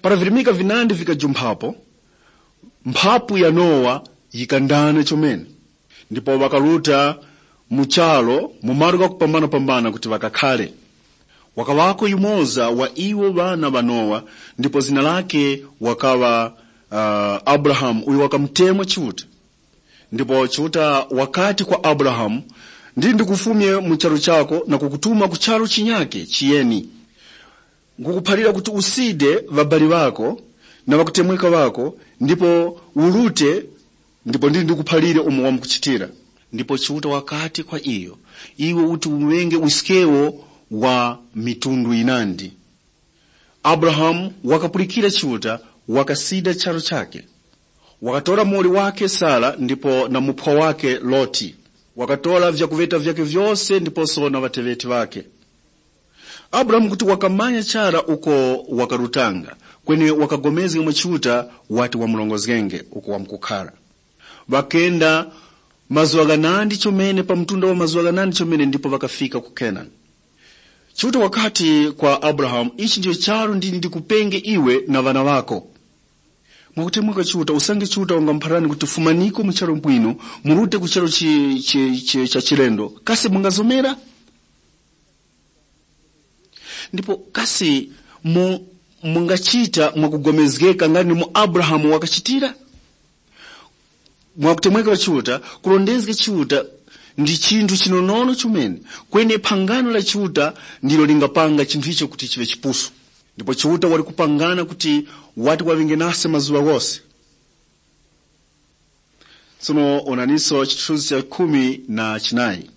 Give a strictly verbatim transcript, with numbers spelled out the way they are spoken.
Para virimika vinandi vikajumphapo, mphapu ya Nowa yikandana chomene, ndipo ŵakaruta mu charu mu malo ghakupambana-pambana kuti ŵakakhare. Wakaŵako yumoza wa iwo ŵana ŵa Nowa, ndipo zina lakhe wakaŵa uh, Abrahamu, uyo wakamutemwa Chiuta. Ndipo Chiuta wakati kwa Abrahamu, ndi ndikufumye mu charu chako na kukutuma ku charu chinyake chiyeni. Nkukuphalira kuti uside ŵabali ŵako na ŵakutemweka ŵako, ndipo urute, ndipo ndili ndikuphalire umo wamkuchitira. Ndipo Chiuta wakati kwa iyo, iwe uti uŵenge uskewo wa mitundu yinandi. Abrahamu wakapulikira Chiuta, wakasida charu chake. Wakatora muwoli wakhe Sara ndipo na muphwa wakhe Loti. Wakatora vyakuŵeta vyakhe vyose ndiposo na ŵateŵeti ŵakhe. Abrahamu kuti wakamanya chara uko wakarutanga, kweni wakagomezga mwa Chiuta wati wamurongozgenge uko wamkukhara. Ŵakenda mazuŵa ghanandi chomene pa mtunda wa mazuŵa ghanandi chomene ndipo ŵakafika ku Kenani. Chiuta wakati kwa Abrahamu, ichi ndicho charu ndili ndikupenge iwe na ŵana ŵako. Mwakutemweka Chiuta, usange Chiuta wangamuphalirani kuti fumaniko mu charu bwino, murute ku charu chi, chi, chi, cha chilendo, kasi mungazomera? Ndipo kasi mu, mungachita mwakugomezgeka ngati mu Abrahamu wakachitira? Mwakutemweka Chiuta, kulondezga Chiuta ndi chinthu chinonono chomene, kweni phangano la Chiuta ndilo lingapanga chinthu icho kuti chiŵe chipusu. Ndipo Chiuta wali kupangana kuti wati waŵenge nase mazuŵa ghose. Tsono onaniso chithunzi cha khumi na chinayi.